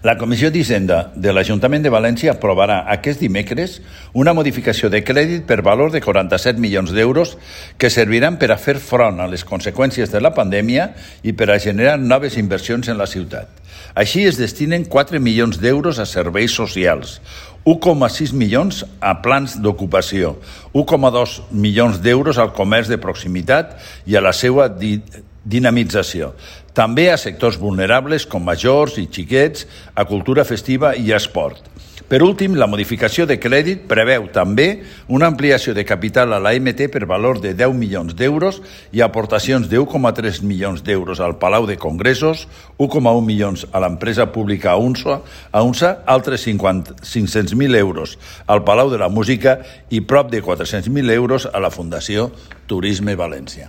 La Comissió d'Hisenda de l'Ajuntament de València aprovarà aquest dimecres una modificació de crèdit per valor de 47 milions d'euros que serviran per a fer front a les conseqüències de la pandèmia i per a generar noves inversions en la ciutat. Així es destinen 4 milions d'euros a serveis socials, 1,6 milions a plans d'ocupació, 1,2 milions d'euros al comerç de proximitat i a la seva dinamització. També a sectors vulnerables com majors i xiquets, a cultura festiva i a esport. Per últim, la modificació de crèdit preveu també una ampliació de capital a l'AMT per valor de 10 milions d'euros i aportacions de 1,3 milions d'euros al Palau de Congressos, 1,1 milions a l'empresa pública UNSA, altres 500.000 euros al Palau de la Música i prop de 400.000 euros a la Fundació Turisme València.